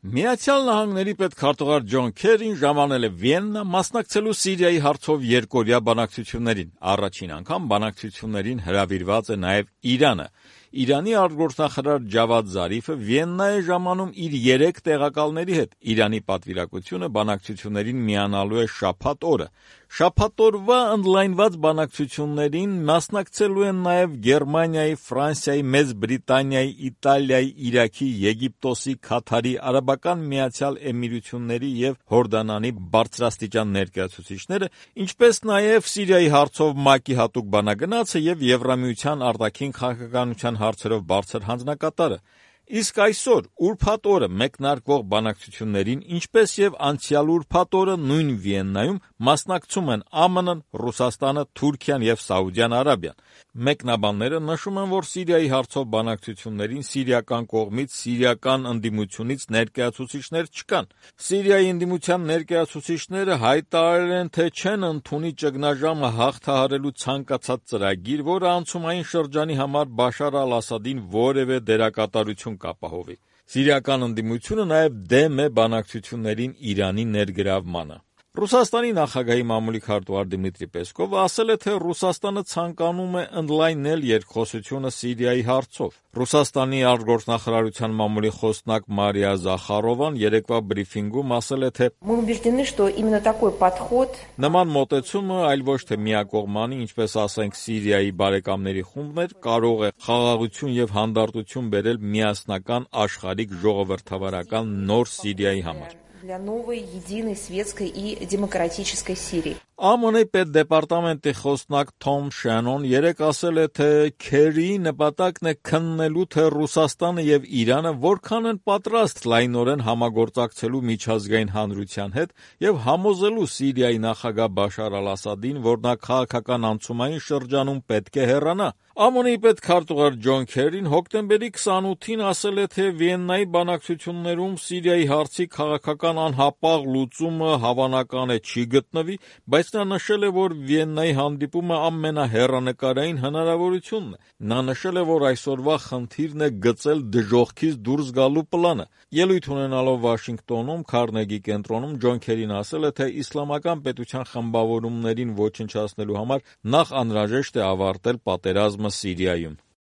Միացյալ Նահանգների պետքարտուղար Ջոն Քերին ժամանել է Վիեննա մասնակցելու Սիրիայի հարցով երկօրյա բանակցություններին։ Առաջին անգամ բանակցություններին հրավիրված է նաև Իրանը։ Իրանի արտգործնախարար Ջավադ Զարիֆը Վիեննա է ժամանում իր 3 տեղակալների հետ։ Իրանի պատվիրակությունը բանակցություններին միանալու է շաբաթ օրը։ Շաբաթ օրվա ընդլայնված բանակցություններին մասնակցելու են նաև Գերմանիայի, Ֆրանսիայի, Մեծ Բրիտանիայի, Իտալիայի, Իրաքի, Եգիպտոսի, Քաթարի, Արաբական Միացյալ Էմիրությունների և Հորդանանի բարձրաստիճան ներկայացուցիչները, ինչպես նաև Սիրիայի հարցով ՄԱԿ-ի հատուկ բանագնացը և Եվրամիության արտաքին քաղաքականության հարցերով բարձր հանձնակատարը։ Իսկ այսօր, ուրբաթ օրը մեկնարկվող բանակցություններին, ինչպես և անցյալ ուրբաթ օրը նույն Վիեննայում մասնակցում են ԱՄՆ-ն, Ռուսաստանը, Թուրքիան և Սաուդյան Արաբիան։ Մեկնաբանները նշում են, որ Սիրիայի հարցով բանակցություններին սիրիական կողմից սիրիական ընդդիմությունից ներկայացուցիչներ չկան։ Սիրիայի ընդդիմության ներկայացուցիչները հայտարարել են, թե չեն ընդունի ճգնաժամը հաղթահարելու ցանկացած ծրագիր, որը անցումային շրջանի համար Բաշար ալ-Ասադին որևէ դերակատարություն կապահովի։ Սիրիական ընդդիմությունը նաև դեմ է բանակցություններին Իրանի ներգրավմանը։ Ռուսաստանի նախագահի մամուլի քարտուղար Դմիտրի Պեսկովը ասել է, թե Ռուսաստանը ցանկանում է ընդլայնել երկխոսությունը Սիրիայի հարցով։ Ռուսաստանի արտգործնախարարության մամուլի խոսնակ Մարիա Զախարովան երեկվա բրիֆինգում ասել է, թե նման մոտեցումը այլ ոչ թե միակողմանի, ինչպես ասենք Սիրիայի բարեկամների խումբներ, կարող է խաղաղություն և հանդարտություն բերել միասնական աշխարհիկ ժողովրդավարական նոր Սիրիայի համար։ ԱՄՆ պետդեպարտամենտի խոսնակ Թոմ Շենոն երեկ ասել է, թե Քերիի նպատակն է քննելու, թե Ռուսաստանը և Իրանը որքան են պատրաստ լայնորեն համագործակցելու միջազգային հանրության հետ և համոզելու Սիրիայի նախագահ Բաշար ալ-Ասադին, որ նա քաղաքական անցումային շրջանում պետք է հեռանա։ ԱՄՆ-ի պետքարտուղար Ջոն Քերին հոկտեմբերի 28-ին ասել է, թե Վիեննայի բանակցություններում Սիրիայի հարցի քաղաքական անհապաղ լուծումը հավանական է չի գտնվի, բայց նա նշել է, որ Վիեննայի հանդիպումը ամենահեռանկարային հնարավորությունն է։ Նա նշել է, որ այսօրվա խնդիրն է գծել դժոխքից դուրս գալու պլանը։ Ելույթ ունենալով Վաշինգտոնում Քարնեգի կենտրոնում Ջոն Քերին ասել է, թե իսլամական պետության խմբավորումներին ոչնչացնելու համար նախ անհրաժեշտ է ավարտել պատերազմը Սիրիայում։